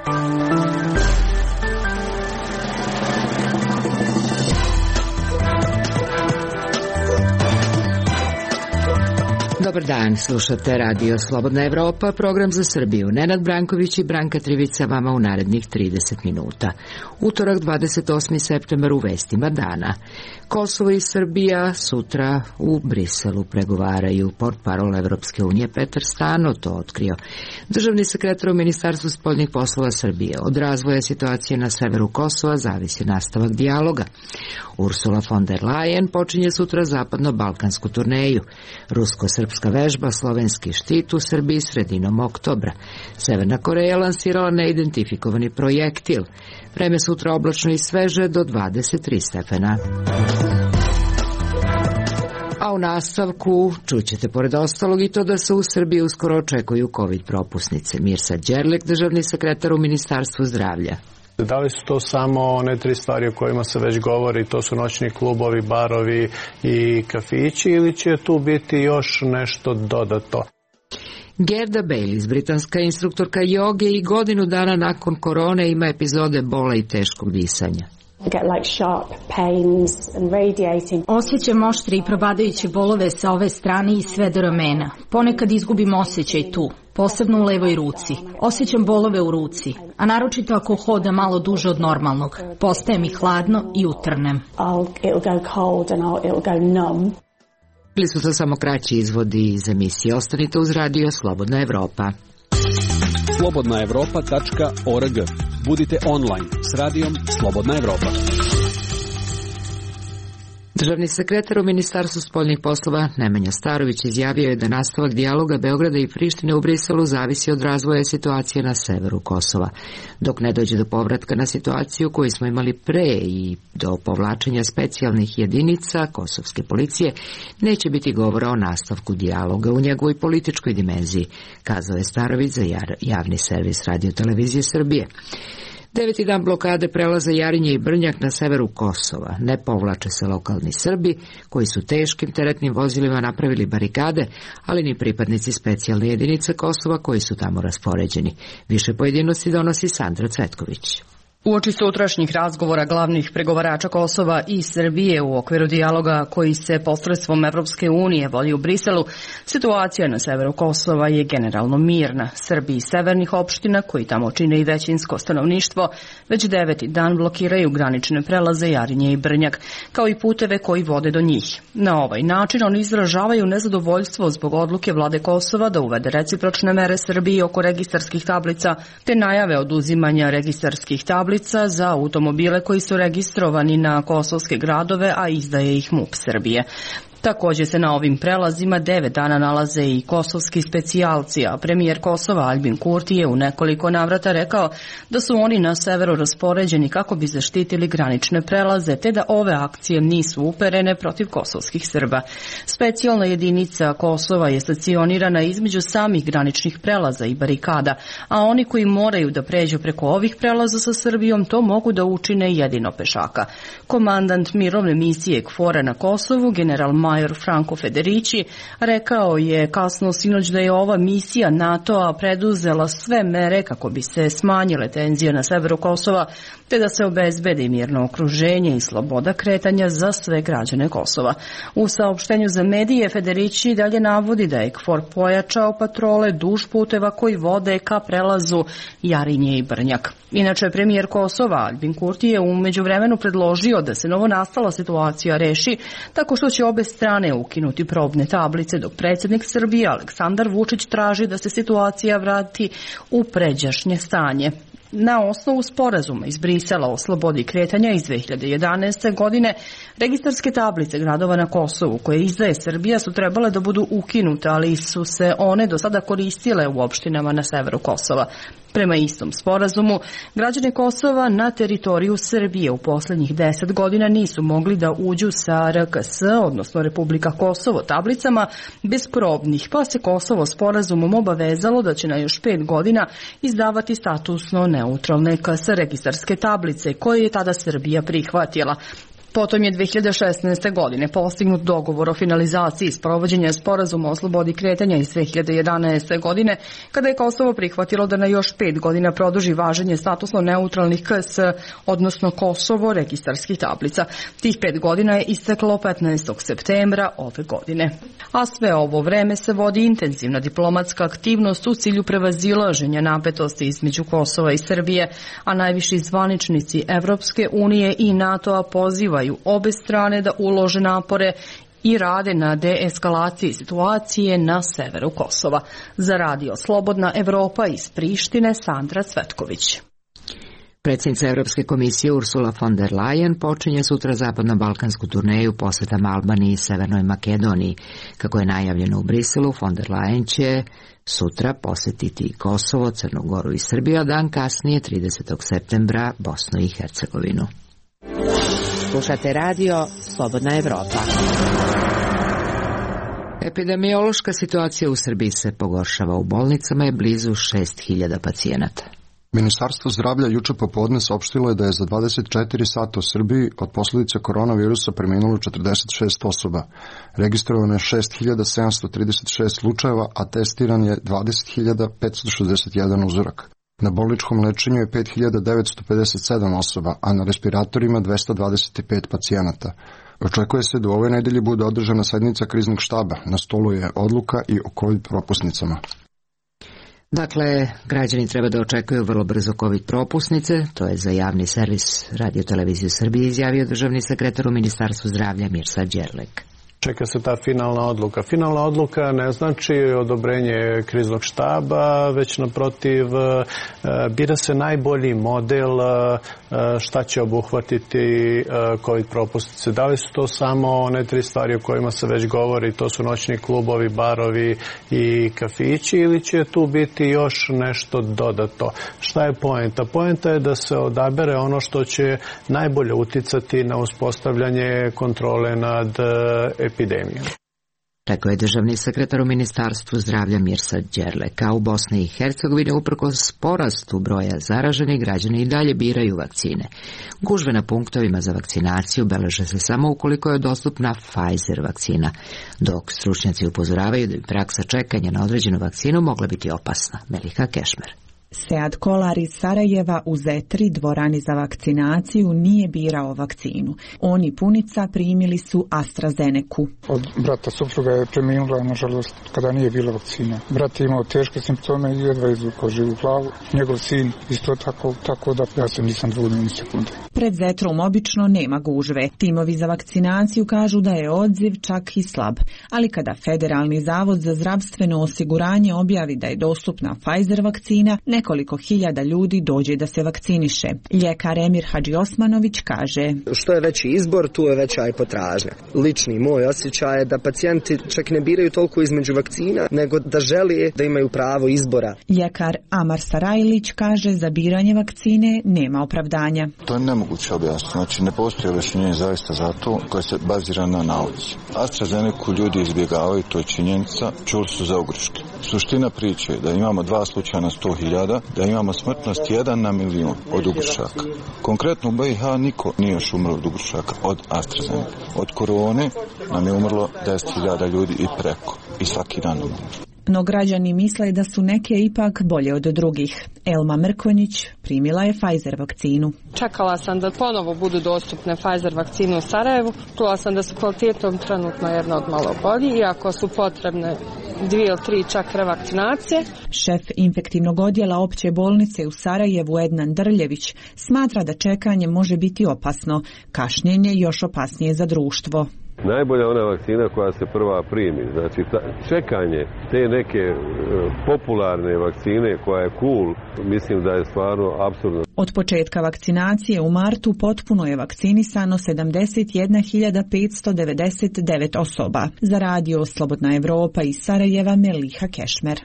Dobar dan, slušate Radio Slobodna Evropa, program za Srbiju. Nenad Branković i Branka Trivica vama u narednih 30 minuta. Utorak, 28. septembar, u vestima dana. Kosovo i Srbija sutra u Briselu pregovaraju. Portparol Evropske unije Petar Stano to otkrio. Državni sekretar u Ministarstvu spoljnih poslova Srbije: od razvoja situacije na severu Kosova zavisi nastavak dijaloga. Ursula von der Leyen počinje sutra zapadno-balkansku turneju. Rusko-srpska vežba slovenski štit u Srbiji sredinom oktobra. Severna Koreja lansirala neidentifikovani projektil. Vreme sutra oblačno i sveže do 23 stepena. A u nastavku čućete pored ostalog i to da se u Srbiji uskoro očekuju COVID propusnice. Mirsad Đerlek, državni sekretar u Ministarstvu zdravlja. Da li su to samo one tri stvari o kojima se već govori, to su noćni klubovi, barovi i kafići, ili će tu biti još nešto dodato? Gerda Baylis, britanska instruktorka joge, i godinu dana nakon korone ima epizode bola i teškog disanja. Osjećam oštre i probadajuće bolove sa ove strane i sve do ramena. Ponekad izgubim osjećaj tu, posebno u levoj ruci. Osjećam bolove u ruci, a naročito ako hodam malo duže od normalnog. Postaje mi hladno i utrnem. Bili su to samo kraći izvodi iz emisije. Ostanite uz Radio Slobodna Evropa. slobodnaevropa.org. Budite online s radijom Slobodna Evropa. Državni sekretar u Ministarstvu spoljnih poslova Nemanja Starović izjavio je da nastavak dijaloga Beograda i Prištine u Briselu zavisi od razvoja situacije na severu Kosova. Dok ne dođe do povratka na situaciju koju smo imali pre i do povlačenja specijalnih jedinica kosovske policije, neće biti govora o nastavku dijaloga u njegovoj političkoj dimenziji, kazao je Starović za javni servis Radio Televizije Srbije. 9. dan blokade prelaza Jarinje i Brnjak na severu Kosova. Ne povlače se lokalni Srbi, koji su teškim teretnim vozilima napravili barikade, ali ni pripadnici specijalne jedinice Kosova koji su tamo raspoređeni. Više pojedinosti donosi Sandra Cvetković. Uoči sutrašnjih razgovora glavnih pregovarača Kosova i Srbije u okviru dijaloga koji se posredstvom Evropske unije vodi u Briselu, situacija na severu Kosova je generalno mirna. Srbi iz severnih opština, koji tamo čine i većinsko stanovništvo, već 9. dan blokiraju granične prelaze Jarinje i Brnjak, kao i puteve koji vode do njih. Na ovaj način oni izražavaju nezadovoljstvo zbog odluke vlade Kosova da uvede recipročne mere Srbiji oko registarskih tablica, te najave oduzimanja registarskih tablica za automobile koji su registrovani na kosovske gradove, a izdaje ih MUP Srbije. Također se na ovim prelazima 9 dana nalaze i kosovski specijalci, a premijer Kosova Aljbin Kurti je u nekoliko navrata rekao da su oni na severu raspoređeni kako bi zaštitili granične prelaze, te da ove akcije nisu uperene protiv kosovskih Srba. Specijalna jedinica Kosova je stacionirana između samih graničnih prelaza i barikada, a oni koji moraju da pređu preko ovih prelaza sa Srbijom to mogu da učine jedino pešaka. Komandant mirovne misije KFOR-a na Kosovu, general major Franco Federici, rekao je kasno sinoć da je ova misija NATO-a preduzela sve mere kako bi se smanjile tenzije na severu Kosova, te da se obezbedi mirno okruženje i sloboda kretanja za sve građane Kosova. U saopštenju za medije Federici dalje navodi da je KFOR pojačao patrole duž puteva koji vode ka prelazu Jarinje i Brnjak. Inače, premijer Kosova Aljbin Kurti je u međuvremenu predložio da se novonastala situacija reši tako što će obe strane ukinuti probne tablice, dok predsjednik Srbije Aleksandar Vučić traži da se situacija vrati u pređašnje stanje. Na osnovu sporazuma iz Brisela o slobodi kretanja iz 2011. godine, registarske tablice gradova na Kosovu koje izdaje Srbija su trebale da budu ukinute, ali su se one do sada koristile u opštinama na severu Kosova. Prema istom sporazumu, građani Kosova na teritoriju Srbije u posljednjih 10 godina nisu mogli da uđu sa RKS, odnosno Republika Kosovo, tablicama bez probnih, pa se Kosovo sporazumom obavezalo da će na još 5 godina izdavati statusno neutralne KS registarske tablice, koje je tada Srbija prihvatila. Potom je 2016. godine postignut dogovor o finalizaciji sprovođenja sporazuma o slobodi kretanja iz 2011. godine, kada je Kosovo prihvatilo da na još 5 godina produži važenje statusno neutralnih KS, odnosno Kosovo registarskih tablica. Tih 5 godina je isteklo 15. septembra ove godine. A sve ovo vreme se vodi intenzivna diplomatska aktivnost u cilju prevazilaženja napetosti između Kosova i Srbije, a najviši zvaničnici Evropske unije i NATO-a pozivaju obe strane da ulože napore i rade na deeskalaciji situacije na severu Kosova. Za Radio Slobodna Evropa iz Prištine, Sandra Cvetković. Predsjednica Evropske komisije Ursula von der Leyen počinje sutra zapadno-balkansku turneju posjetom Albaniji i Severnoj Makedoniji. Kako je najavljeno u Briselu, von der Leyen će sutra posjetiti Kosovo, Crnu Goru i Srbiju, a dan kasnije, 30. septembra, Bosnu i Hercegovinu. Slušate radio Slobodna Evropa. Epidemiološka situacija u Srbiji se pogoršava. U bolnicama je blizu 6.000 pacijenata. Ministarstvo zdravlja juče popodne saopštilo je da je za 24 sata u Srbiji od posljedica koronavirusa preminulo 46 osoba. Registrovano je 6.736 slučajeva, a testiran je 20.561 uzorak. Na bolničkom lečenju je 5.957 osoba, a na respiratorima 225 pacijenata. Očekuje se da u ovoj nedelji bude održana sednica kriznog štaba. Na stolu je odluka i o COVID propusnicama. Dakle, građani treba da očekuju vrlo brzo COVID propusnice, to je za javni servis Radio Televiziju Srbije izjavio državni sekretar u Ministarstvu zdravlja Mirsad Đerlek. Čeka se ta finalna odluka. Finalna odluka ne znači odobrenje kriznog štaba, već naprotiv bira se najbolji model šta će obuhvatiti COVID propusnice. Da li su to samo one 3 stvari o kojima se već govori, to su noćni klubovi, barovi i kafići, ili će tu biti još nešto dodato? Šta je poenta? Poenta je da se odabere ono što će najbolje uticati na uspostavljanje kontrole nad epidemijom. Rekao je državni sekretar u Ministarstvu zdravlja Mirsad Đerlek. A u Bosni i Hercegovini uprkos porastu broja zaraženih, građani i dalje biraju vakcine. Gužve na punktovima za vakcinaciju beleže se samo ukoliko je dostupna Pfizer vakcina, dok stručnjaci upozoravaju da bi praksa čekanja na određenu vakcinu mogla biti opasna. Melika Kešmer. Sead Kolar iz Sarajeva u Zetri, dvorani za vakcinaciju, nije birao vakcinu. On i punica primili su AstraZeneku. Od brata supruga je preminula, nažalost, kada nije bila vakcina. Brat je imao teške simptome i jedva izvukao živu glavu. Njegov sin isto tako da ja se nisam dvoumio ni sekunde. Pred Zetrom obično nema gužve. Timovi za vakcinaciju kažu da je odziv čak i slab. Ali kada Federalni zavod za zdravstveno osiguranje objavi da je dostupna Pfizer vakcina, nekoliko hiljada ljudi dođe da se vakciniše. Ljekar Emir Hadžiosmanović kaže: što je veći izbor, tu je veća i potražnja. Lični moj osjećaj je da pacijenti čak ne biraju toliko između vakcina, nego da žele da imaju pravo izbora. Ljekar Amar Sarajlić kaže: za biranje vakcine nema opravdanja. To je nemoguće objasniti. Znači, ne postoji objašnjenje zaista za to koje se bazira na nauci. AstraZeneku ljudi izbjegavaju, to je činjenica, čuli su za ogreške. Suština priče je da imamo 2 slučaja na 100.000, da imamo smrtnost 1 na milion od ugrušaka. Konkretno u BiH niko nije još umro od ugrušaka od AstraZeneca. Od korone nam je umrlo 10.000 ljudi i preko. I svaki dan umrlo. No građani misle da su neke ipak bolje od drugih. Elma Mrkonjić primila je Pfizer vakcinu. Čekala sam da ponovo budu dostupne Pfizer vakcine u Sarajevu. Čula sam da su kvalitetom trenutno jedna od malo bolji, iako su potrebne 2 ili 3 čak revakcinacije. Šef infektivnog odjela opće bolnice u Sarajevu Ednan Drljević smatra da čekanje može biti opasno. Kašnjenje još opasnije za društvo. Najbolja ona vakcina koja se prva primi. Znači, čekanje te neke popularne vakcine koja je cool, mislim da je stvarno apsurdno. Od početka vakcinacije u martu potpuno je vakcinisano 71.599 osoba. Za Radio Slobodna Evropa iz Sarajeva, Meliha Kešmer.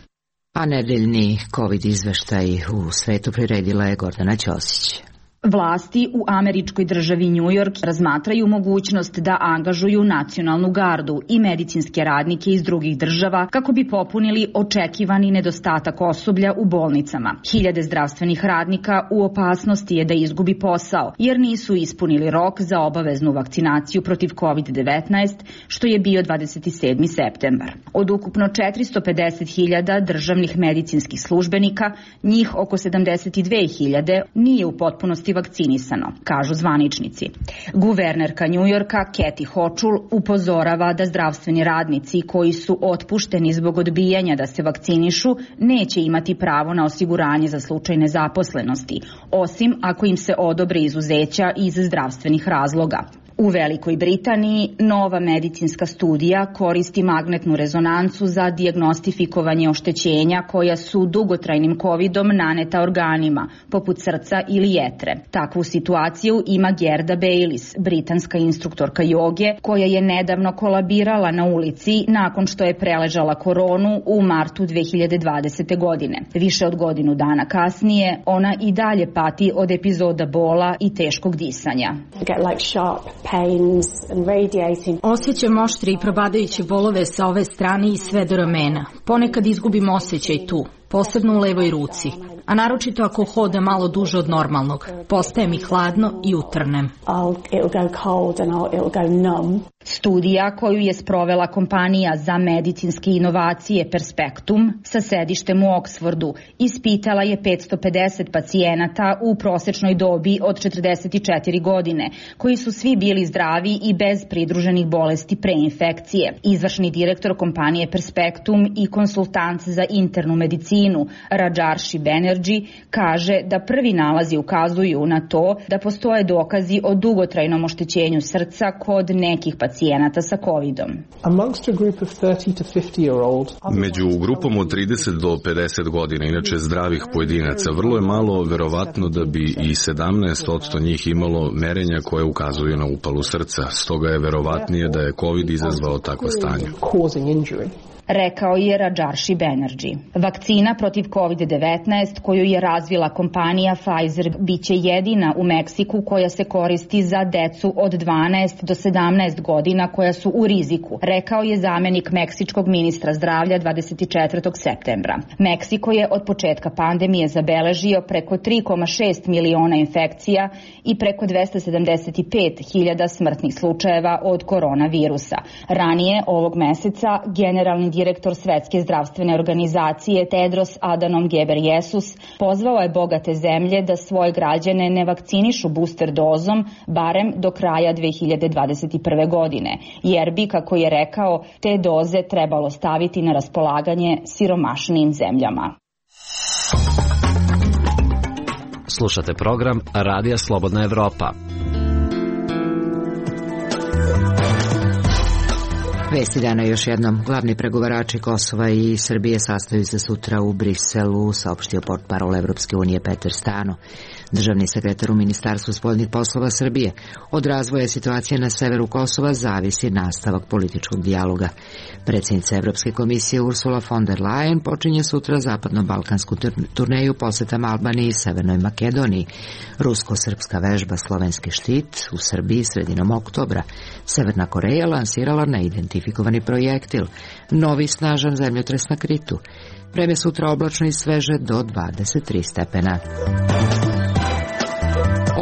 A nedeljni COVID izveštaj u svetu priredila je Gordana Ćosić. Vlasti u američkoj državi New York razmatraju mogućnost da angažuju nacionalnu gardu i medicinske radnike iz drugih država kako bi popunili očekivani nedostatak osoblja u bolnicama. Hiljade zdravstvenih radnika u opasnosti je da izgubi posao jer nisu ispunili rok za obaveznu vakcinaciju protiv COVID-19, što je bio 27. septembar. Od ukupno 450.000 državnih medicinskih službenika, njih oko 72.000 nije u potpunosti vakcinisano, kažu zvaničnici. Guvernerka Njujorka Kathy Hochul upozorava da zdravstveni radnici koji su otpušteni zbog odbijanja da se vakcinišu neće imati pravo na osiguranje za slučaj nezaposlenosti, osim ako im se odobre izuzeća iz zdravstvenih razloga. U Velikoj Britaniji nova medicinska studija koristi magnetnu rezonancu za dijagnostifikovanje oštećenja koja su dugotrajnim covidom naneta organima, poput srca ili jetre. Takvu situaciju ima Gerda Baylis, britanska instruktorka joge, koja je nedavno kolabirala na ulici nakon što je preležala koronu u martu 2020. godine. Više od godinu dana kasnije, ona i dalje pati od epizoda bola i teškog disanja. Osjećam oštre i probadajuće bolove sa ove strane i sve do ramena. Ponekad izgubim osjećaj tu, posebno u levoj ruci, a naročito ako hodam malo duže od normalnog. Postaje mi hladno i utrnem. Studija koju je sprovela kompanija za medicinske inovacije Perspektum sa sedištem u Oksfordu ispitala je 550 pacijenata u prosečnoj dobi od 44 godine, koji su svi bili zdravi i bez pridruženih bolesti preinfekcije. Izvršni direktor kompanije Perspektum i konsultant za internu medicinu Rajarshi Banerjee kaže da prvi nalazi ukazuju na to da postoje dokazi o dugotrajnom oštećenju srca kod nekih pacijenata sa covidom. Među grupom od 30 do 50 godina, inače zdravih pojedinaca, vrlo je malo verovatno da bi i 17% njih imalo merenja koje ukazuju na upalu srca. Stoga je verovatnije da je COVID izazvao takvo stanje. Rekao je Rajarshi Banerjee. Vakcina protiv COVID-19 koju je razvila kompanija Pfizer biće jedina u Meksiku koja se koristi za decu od 12 do 17 godina koja su u riziku, rekao je zamenik meksičkog ministra zdravlja 24. septembra. Meksiko je od početka pandemije zabeležio preko 3,6 miliona infekcija i preko 275.000 smrtnih slučajeva od koronavirusa. Ranije ovog meseca generalni direktor Svetske zdravstvene organizacije Tedros Adhanom Ghebreyesus pozvao je bogate zemlje da svoje građane ne vakcinišu booster dozom barem do kraja 2021. godine, jer bi, kako je rekao, te doze trebalo staviti na raspolaganje siromašnijim zemljama. Slušate program Radija Slobodna Evropa. Vesti dana još jednom. Glavni pregovarači Kosova i Srbije sastaju se sutra u Briselu, saopštio portparol Evropske unije Peter Stano. Državni sekretar u Ministarstvu spoljnih poslova Srbije: od razvoja situacije na severu Kosova zavisi nastavak političkog dijaloga. Predsjednica Evropske komisije Ursula von der Leyen počinje sutra zapadno-balkansku turneju posetom Albaniji i Severnoj Makedoniji. Rusko-srpska vežba Slovenski štit u Srbiji sredinom oktobra. Severna Koreja lansirala neidentifikovani projektil. Novi snažan zemljotres na Kritu. Vreme sutra oblačno i sveže do 23 stepena.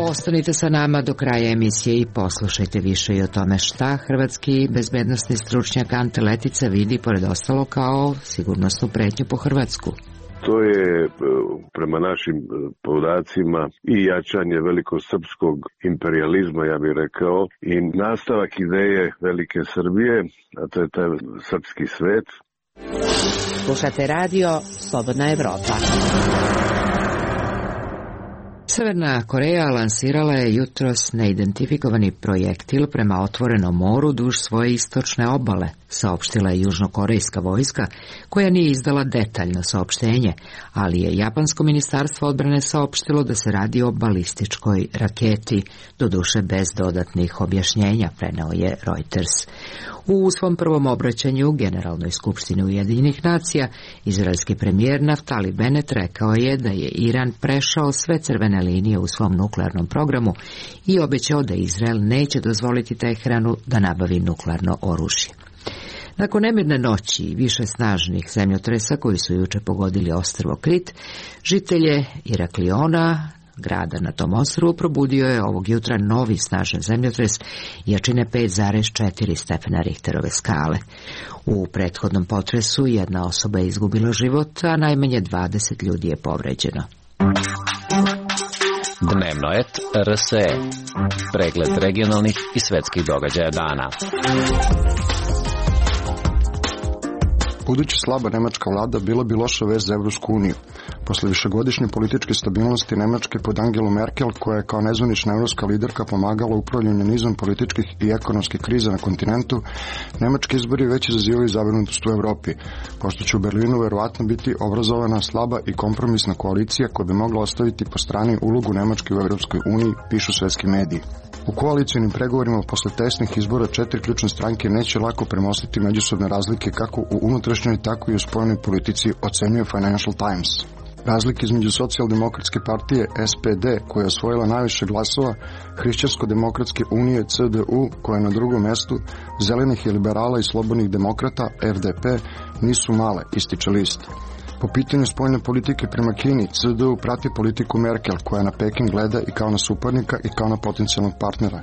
Ostanite sa nama do kraja emisije i poslušajte više i o tome šta hrvatski bezbednosni stručnjak Ante Letica vidi pored ostalo kao sigurnosnu pretnju po Hrvatsku. To je prema našim podacima i jačanje velikosrpskog imperijalizma, ja bih rekao, i nastavak ideje Velike Srbije, a to je taj srpski svet. Slušate radio Slobodna Evropa. Severna Koreja lansirala je jutros neidentifikovani projektil prema otvorenom moru duž svoje istočne obale, saopštila je južnokorejska vojska, koja nije izdala detaljno saopštenje, ali je japansko ministarstvo odbrane saopštilo da se radi o balističkoj raketi, doduše bez dodatnih objašnjenja, preneo je Reuters. U svom prvom obraćanju Generalnoj skupštini Ujedinjenih nacija, izraelski premijer Naftali Bennett rekao je da je Iran prešao sve crvene linije u svom nuklearnom programu i obećao da Izrael neće dozvoliti Teheranu da nabavi nuklearno oružje. Nakon nemirne noći i više snažnih zemljotresa koji su juče pogodili ostrvo Krit, žitelje Irakliona, grada na tom ostrvu, probudio je ovog jutra novi snažan zemljotres jačine 5,4 stepena Richterove skale. U prethodnom potresu jedna osoba je izgubila život, a najmanje 20 ljudi je povređeno. Dnevno et RSE. Pregled regionalnih i svetskih događaja dana. Budući slaba nemačka vlada bila bi loša vest za Evropsku uniju. Posle višegodišnje političke stabilnosti Nemačke pod Angelu Merkel, koja je kao nezvanična evropska liderka pomagala upravljanju nizom političkih i ekonomskih kriza na kontinentu, nemački izbori već izazivaju zabrinutost u Evropi, pošto će u Berlinu verovatno biti obrazovana slaba i kompromisna koalicija koja bi mogla ostaviti po strani ulogu Nemačke u Evropskoj uniji, pišu svetski mediji. U koalicijnim pregovorima posle tesnih izbora 4 ključne stranke neće lako premostiti međusobne razlike kako u unutrašnjoj, tako i u spoljnoj politici, ocenjuje Financial Times. Razlike između socijaldemokratske partije SPD, koja je osvojila najviše glasova, Hrišćansko-demokratske unije CDU, koja je na drugom mestu, zelenih i liberala i slobodnih demokrata FDP, nisu male, ističe list. Po pitanju spoljne politike prema Kini, CDU prati politiku Merkel, koja na Peking gleda i kao na suparnika i kao na potencijalnog partnera.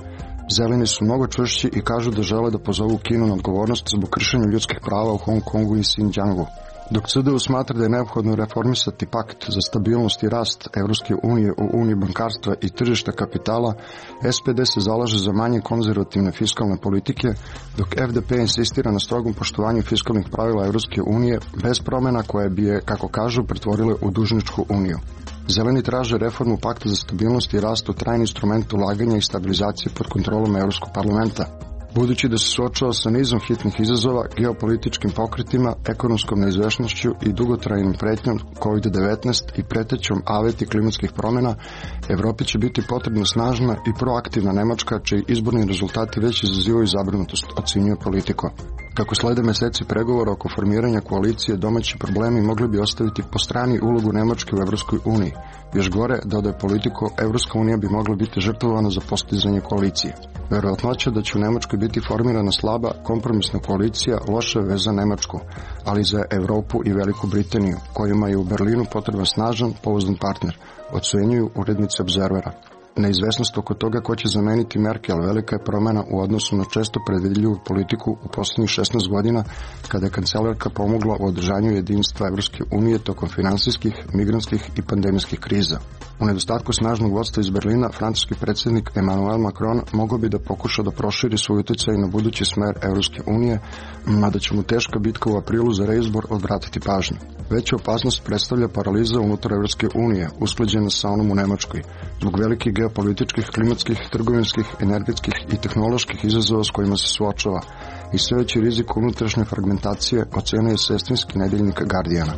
Zeleni su mnogo čvršći i kažu da žele da pozovu Kinu na odgovornost zbog kršenja ljudskih prava u Hong Kongu i Xinjiangu. Dok CDU smatra da je neophodno reformisati pakt za stabilnost i rast Evropske unije u uniji bankarstva i tržišta kapitala, SPD se zalaže za manje konzervativne fiskalne politike, dok FDP insistira na strogom poštovanju fiskalnih pravila Evropske unije bez promjena koje bi je, kako kažu, pretvorile u dužničku uniju. Zeleni traže reformu pakta za stabilnost i rast u trajni instrument ulaganja i stabilizacije pod kontrolom Evropskog parlamenta. Budući da se suočava sa nizom hitnih izazova, geopolitičkim pokretima, ekonomskom neizvešnošću i dugotrajnim pretnjom COVID-19 i pretećom aveti klimatskih promjena, Evropi će biti potrebna snažna i proaktivna Nemačka, čiji izborni rezultati već izazivaju zabrinutost, ocenjuje Politico. Kako slede meseci pregovora oko formiranja koalicije, domaći problemi mogli bi ostaviti po strani ulogu Nemačke u Evropskoj uniji. Još gore, dodaje Politico, Evropska unija bi mogla biti žrtvovana za postizanje koalicije. Verovatnoća da će u Nemačkoj biti formirana slaba, kompromisna koalicija loša je za Nemačku, ali za Evropu i Veliku Britaniju, kojima je u Berlinu potreban snažan, pouzdan partner, ocenjuju urednici Observera. Neizvesnost oko toga ko će zameniti Merkel velika je promjena u odnosu na često predvidljivu politiku u posljednjih 16 godina, kada je kancelarka pomogla u održanju jedinstva Evropske unije tokom finansijskih, migrantskih i pandemijskih kriza. U nedostatku snažnog vodstva iz Berlina, francuski predsjednik Emmanuel Macron mogao bi da pokuša da proširi svoj utjecaj na budući smer Evropske unije, mada će mu teška bitka u aprilu za reizbor odvratiti pažnju. Veća opasnost predstavlja paraliza unutar Evropske unije, usklađena sa onom u Nemačkoj, zbog velikih geopolitičkih, klimatskih, trgovinskih, energetskih i tehnoloških izazova s kojima se suočava i sve veći rizik unutrašnje fragmentacije, ocenjuje sestrinski nedeljnik Guardiana.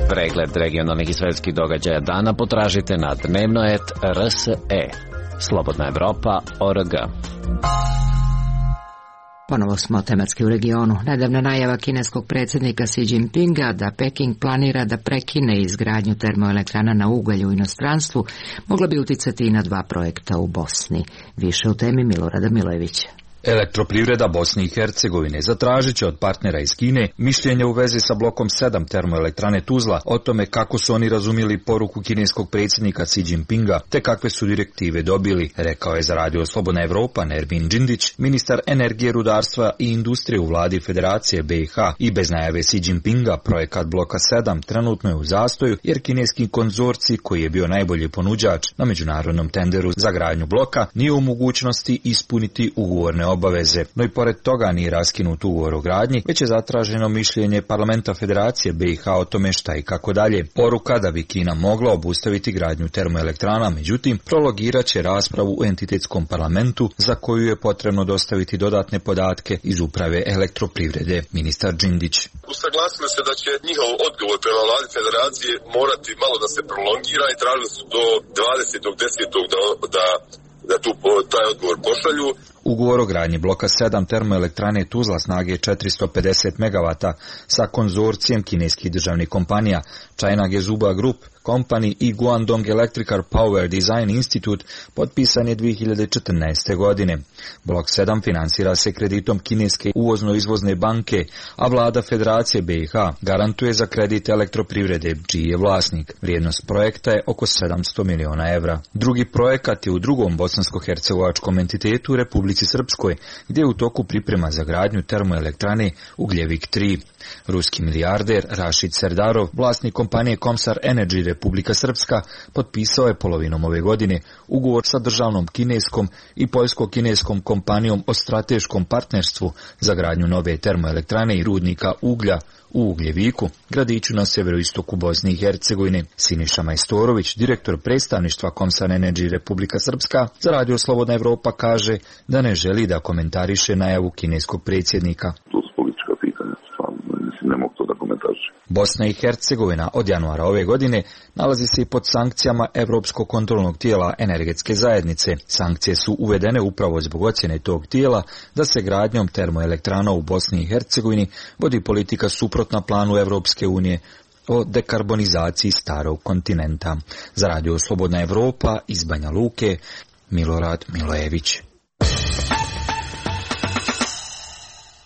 Pregled regionalnih i svetskih događaja dana potražite na dnevno.rs.e. Slobodna Evropa.org. Ponovo smo tematski u regionu. Nedavna najava kineskog predsjednika Xi Jinpinga da Peking planira da prekine izgradnju termoelektrana na ugalj u inostranstvu mogla bi uticati i na 2 projekta u Bosni. Više u temi Milorada Milojevića. Elektroprivreda Bosne i Hercegovine zatražit će od partnera iz Kine mišljenje u vezi sa blokom 7 termoelektrane Tuzla o tome kako su oni razumjeli poruku kineskog predsjednika Xi Jinpinga te kakve su direktive dobili, rekao je za Radio Slobodna Evropa Nermin Džindić, ministar energije, rudarstva i industrije u vladi Federacije BiH. I bez najave Xi Jinpinga projekat bloka 7 trenutno je u zastoju jer kineski konzorcij, koji je bio najbolji ponuđač na međunarodnom tenderu za gradnju bloka, nije u mogućnosti ispuniti ugovorne obaveze, no i pored toga nije raskinut ugovor o gradnji, već je zatraženo mišljenje parlamenta Federacije BiH o tome šta i kako dalje. Poruka da bi Kina mogla obustaviti gradnju termoelektrana, međutim, prologirat će raspravu u entitetskom parlamentu za koju je potrebno dostaviti dodatne podatke iz uprave elektroprivrede. Ministar Džindić. Usaglasili se da će njihov odgovor prema vladi Federacije morati malo da se prolongira i tražili su do 20.10. da taj odgovor pošalju. Ugovor o gradnji bloka 7 termoelektrane Tuzla snage 450 MW sa konzorcijem kineskih državnih kompanija China Gezhouba Group Company i Guangdong Electrical Power Design Institute potpisan je 2014. godine. Blok 7 finansira se kreditom kineske uvozno-izvozne banke, a vlada Federacije BiH garantuje za kredit elektroprivrede, čiji je vlasnik. Vrijednost projekta je oko 700 miliona evra. Drugi projekat je u drugom bosansko-hercegovačkom entitetu u Republici Srpskoj, gdje je u toku priprema za gradnju termoelektrane Ugljevik 3. Ruski milijarder Rašid Serdarov, vlasnik kompanije Komsar Energy Republika Srpska, potpisao je polovinom ove godine ugovor sa državnom kineskom i poljsko-kineskom kompanijom o strateškom partnerstvu za gradnju nove termoelektrane i rudnika uglja u Ugljeviku, gradiću na severoistoku Bosne i Hercegovine. Siniša Majstorović, direktor predstavništva Komsar Energy Republika Srpska, za Radio Slobodna Evropa kaže da ne želi da komentariše najavu kineskog predsjednika. Bosna i Hercegovina od januara ove godine nalazi se i pod sankcijama Europskog kontrolnog tijela energetske zajednice. Sankcije su uvedene upravo zbog ocjene tog tijela da se gradnjom termoelektrana u Bosni i Hercegovini vodi politika suprotna planu Europske unije o dekarbonizaciji starog kontinenta. Za Radio Slobodna Evropa iz Banja Luke, Milorad Milojević.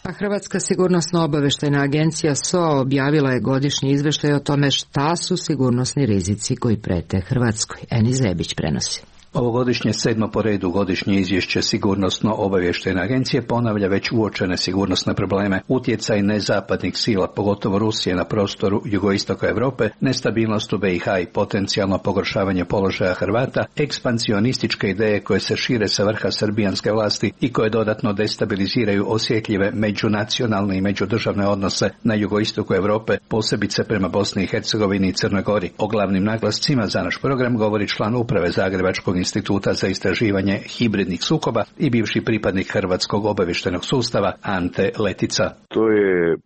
A Hrvatska sigurnosno-obaveštajna agencija SOA objavila je godišnji izveštaj o tome šta su sigurnosni rizici koji prete Hrvatskoj. Eni Zebić prenosi. Ovogodišnje 7. po redu godišnje izvješće Sigurnosno-obavještajne agencije ponavlja već uočene sigurnosne probleme, utjecaj nezapadnih sila, pogotovo Rusije na prostoru jugoistoka Europe, nestabilnost u BiH i potencijalno pogoršavanje položaja Hrvata, ekspansionističke ideje koje se šire sa vrha srbijanske vlasti i koje dodatno destabiliziraju osjetljive međunacionalne i međudržavne odnose na jugoistoku Europe, posebice prema Bosni i Hercegovini i Crnoj Gori. O glavnim naglascima za naš program govori član uprave Zagrebačkog instituta za istraživanje hibridnih sukoba i bivši pripadnik Hrvatskog obavještajnog sustava Ante Letica. To je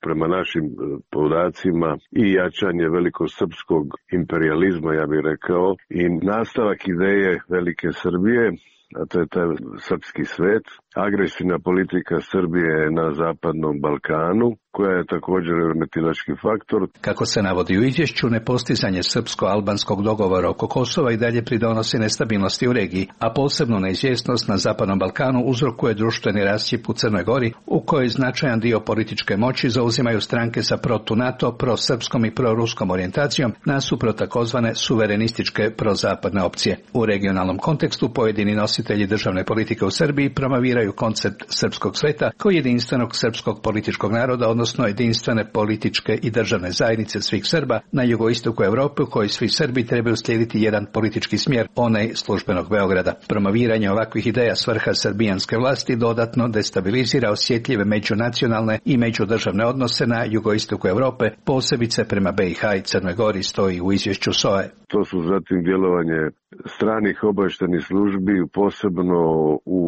prema našim podacima i jačanje velikosrpskog imperijalizma, ja bih rekao, i nastavak ideje Velike Srbije, a to je taj srpski svet, agresivna politika Srbije na zapadnom Balkanu, koja je također remetilački faktor. Kako se navodi u izvješću, nepostizanje srpsko-albanskog dogovora oko Kosova i dalje pridonosi nestabilnosti u regiji, a posebno neizvjesnost na zapadnom Balkanu uzrokuje društveni rascjep u Crnoj Gori, u kojoj značajan dio političke moći zauzimaju stranke sa protu-NATO, prosrpskom i proruskom orijentacijom, nasuprot takozvane suverenističke prozapadne opcije. U regionalnom kontekstu pojedini nositelji državne politike u Srbiji promoviraju koncept srpskog sveta kao jedinstvenog srpskog političkog naroda, odnosno jedinstvene političke i državne zajednice svih Srba na jugoistoku Europe, u kojoj svi Srbi trebaju slijediti jedan politički smjer, onaj službenog Beograda. Promoviranje ovakvih ideja s vrha srbijanske vlasti dodatno destabilizira osjetljive međunacionalne i međudržavne odnose na jugoistoku Europe, posebice prema BiH i Crnoj Gori, stoji u izvješću SOA-e. To su zatim djelovanje stranih obavještajnih službi, posebno u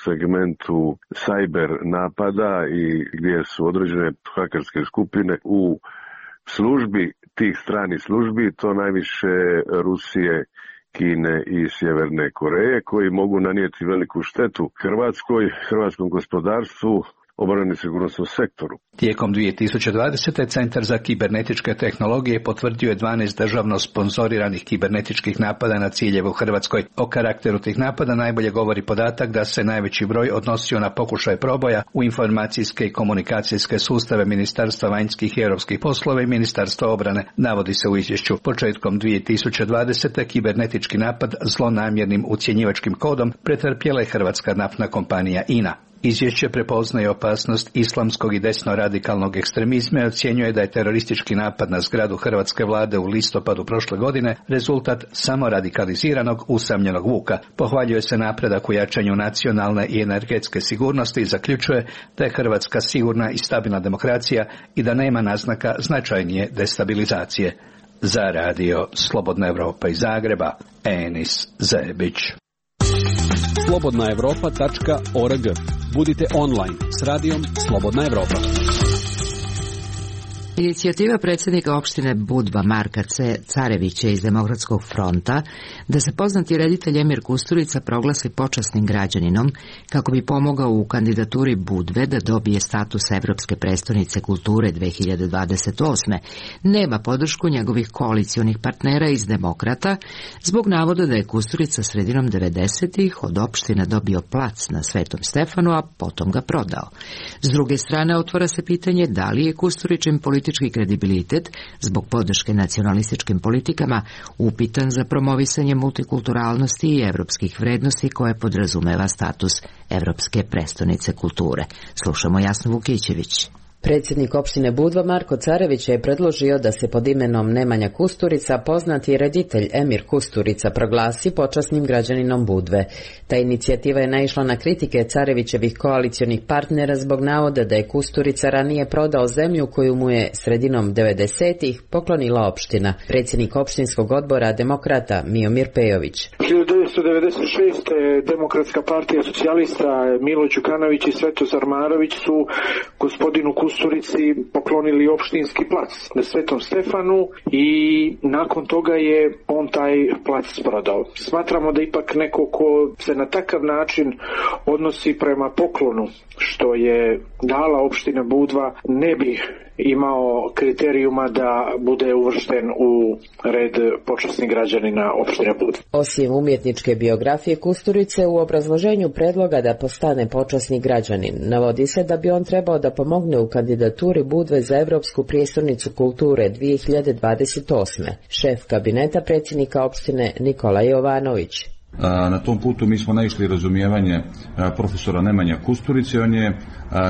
segmentu cyber napada i gdje su određene hakerske skupine u službi tih stranih službi, to najviše Rusije, Kine i Sjeverne Koreje, koji mogu nanijeti veliku štetu hrvatskom gospodarstvu, obrani sigurnosnom sektoru. Tijekom 2020. Centar za kibernetičke tehnologije potvrdio je 12 državno sponzoriranih kibernetičkih napada na ciljeve u Hrvatskoj. O karakteru tih napada najbolje govori podatak da se najveći broj odnosio na pokušaj proboja u informacijske i komunikacijske sustave Ministarstva vanjskih i europskih poslova i Ministarstva obrane, navodi se u izvješću. Početkom 2020. kibernetički napad zlonamjernim ucjenjivačkim kodom pretrpjela je hrvatska naftna kompanija INA. Izvješće prepoznaje opasnost islamskog i desno-radikalnog ekstremizma i ocjenjuje da je teroristički napad na zgradu hrvatske vlade u listopadu prošle godine rezultat samoradikaliziranog usamljenog vuka. Pohvaljuje se napredak u jačanju nacionalne i energetske sigurnosti i zaključuje da je Hrvatska sigurna i stabilna demokracija i da nema naznaka značajnije destabilizacije. Za Radio Slobodna Evropa iz Zagreba, Enis Zebić. slobodnaevropa.org. Budite online s radijom Slobodna Evropa. Inicijativa predsjednika opštine Budva Marka Carevića iz Demokratskog fronta da se poznati reditelj Emir Kusturica proglasi počasnim građaninom kako bi pomogao u kandidaturi Budve da dobije status Evropske prestonice kulture 2028. nema podršku njegovih koalicionih partnera iz Demokrata zbog navoda da je Kusturica sredinom 90-ih od opštine dobio plac na Svetom Stefanu, a potom ga prodao. S druge strane, otvara se pitanje da li je Kusturičin politički kredibilitet zbog podrške nacionalističkim politikama upitan za promovisanje multikulturalnosti i evropskih vrednosti koje podrazumeva status Evropske prestonice kulture. Slušamo Jasnu Vukićević. Predsjednik opštine Budva Marko Carević je predložio da se pod imenom Nemanja Kusturica poznati reditelj Emir Kusturica proglasi počasnim građaninom Budve. Ta inicijativa je naišla na kritike Carevićevih koalicionih partnera zbog navoda da je Kusturica ranije prodao zemlju koju mu je sredinom 90-ih poklonila opština. Predsjednik opštinskog odbora Demokrata Miomir Pejović. 1996. Demokratska partija socijalista Milo Đukanović i Svetozar Marović su gospodinu Kusturici poklonili opštinski plac na Svetom Stefanu i nakon toga je on taj plac prodao. Smatramo da ipak neko ko se na takav način odnosi prema poklonu što je dala opština Budva ne bi imao kriterijuma da bude uvršten u red počasnih građanina opštine Budva. Osim umjetničke biografije Kusturice, u obrazloženju predloga da postane počasni građanin navodi se da bi on trebao da pomogne u kandidaturi Budve za Evropsku prijestolnicu kulture 2028. Šef kabineta predsjednika opštine Nikola Jovanović. Na tom putu mi smo naišli razumijevanje profesora Nemanja Kusturice. On je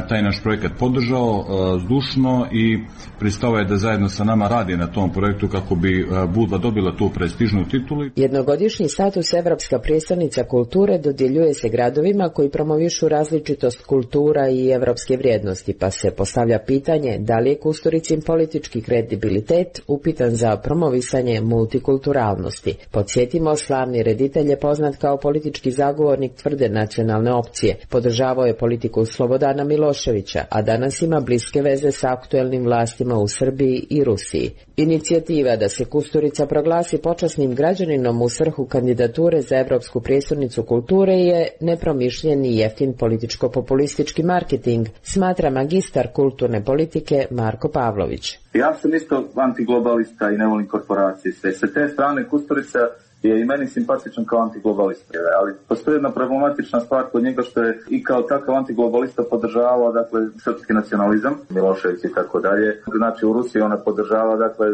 taj naš projekat podržao zdušno i pristao je da zajedno sa nama radi na tom projektu kako bi Budva dobila tu prestižnu titulu. Jednogodišnji status Evropska prijestolnica kulture dodjeljuje se gradovima koji promovišu različitost kultura i evropske vrijednosti, pa se postavlja pitanje da li je Kusturicin politički kredibilitet upitan za promovisanje multikulturalnosti. Podsjetimo, slavni reditelj je poznat kao politički zagovornik tvrde nacionalne opcije. Podržavao je politiku Slobodana Miloševića, a danas ima bliske veze sa aktuelnim vlastima u Srbiji i Rusiji. Inicijativa da se Kusturica proglasi počasnim građaninom u svrhu kandidature za Evropsku prijestolnicu kulture je nepromišljen i jeftin političko-populistički marketing, smatra magistar kulturne politike Marko Pavlović. Ja sam isto antiglobalista i ne volim korporacije. Sa te strane Kusturica je i meni simpatičan kao antiglobalista, ali postoji jedna problematična stvar kod njega što je i kao takav antiglobalista podržavao, dakle, srpski nacionalizam, Milošević i tako dalje. Znači u Rusiji ona podržava, dakle,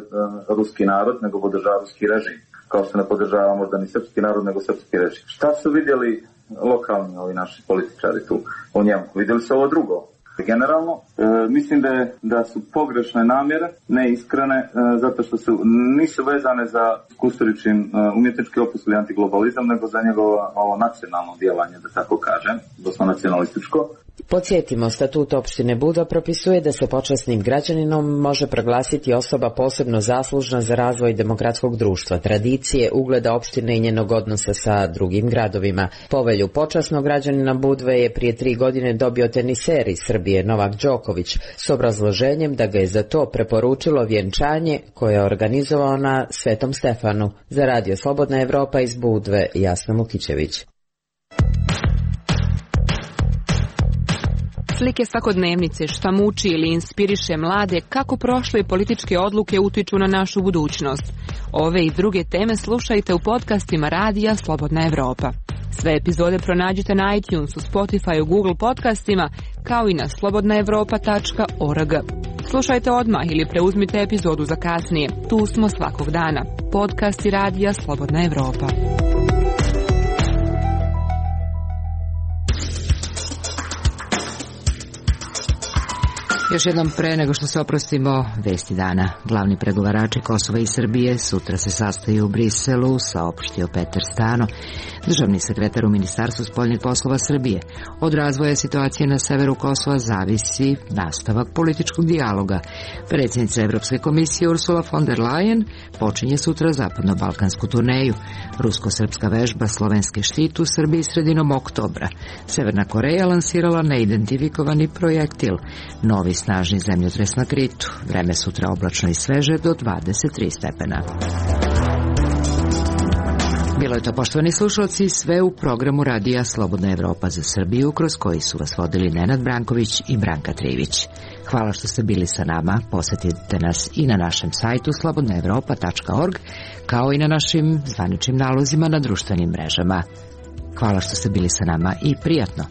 ruski narod, nego podržava ruski režim, kao što ne podržava možda ni srpski narod, nego srpski režim. Šta su vidjeli lokalni ovi naši političari tu u njemu? Vidjeli su ovo drugo. Generalno, mislim da su pogrešne namjere, neiskrene, zato što nisu vezane za Kusturičin umjetnički opus ili antiglobalizam, nego za njegovo ovo nacionalno djelovanje, da tako kažem, doslovno nacionalističko. Podsjetimo, statut opštine Budva propisuje da se počasnim građaninom može proglasiti osoba posebno zaslužna za razvoj demokratskog društva, tradicije, ugleda opštine i njenog odnosa sa drugim gradovima. Povelju počasnog građanina Budve je prije 3 godine dobio teniser iz Srbije Novak Đoković s obrazloženjem da ga je za to preporučilo vjenčanje koje je organizovao na Svetom Stefanu. Za Radio Slobodna Evropa iz Budve, Jasna Mukićević. Slike svakodnevnice, šta muči ili inspiriše mlade, kako prošle političke odluke utiču na našu budućnost. Ove i druge teme slušajte u podcastima Radija Slobodna Evropa. Sve epizode pronađite na iTunesu, Spotify, Google podcastima, kao i na slobodnaevropa.org. Slušajte odmah ili preuzmite epizodu za kasnije. Tu smo svakog dana. Podcasti Radija Slobodna Evropa. Još jednom pre nego što se oprostimo, vesti dana. Glavni pregovarači Kosova i Srbije sutra se sastaju u Briselu, saopštio Petar Stano, državni sekretar u Ministarstvu spoljnih poslova Srbije. Od razvoja situacije na severu Kosova zavisi nastavak političkog dijaloga. Predsjednica Evropske komisije Ursula von der Leyen počinje sutra zapadno-balkansku turneju. Rusko-srpska vežba Slovenske štit u Srbiji sredinom oktobra. Severna Koreja lansirala neidentifikovani projektil. Novi snažni zemljotres na Kritu. Vreme sutra oblačno i sveže do 23 stepena. Bilo je to, poštovani slušalci, sve u programu radija Slobodna Evropa za Srbiju, kroz koji su vas vodili Nenad Branković i Branka Trivić. Hvala što ste bili sa nama. Posetite nas i na našem sajtu slobodnaevropa.org, kao i na našim zvaničnim nalozima na društvenim mrežama. Hvala što ste bili sa nama i prijatno.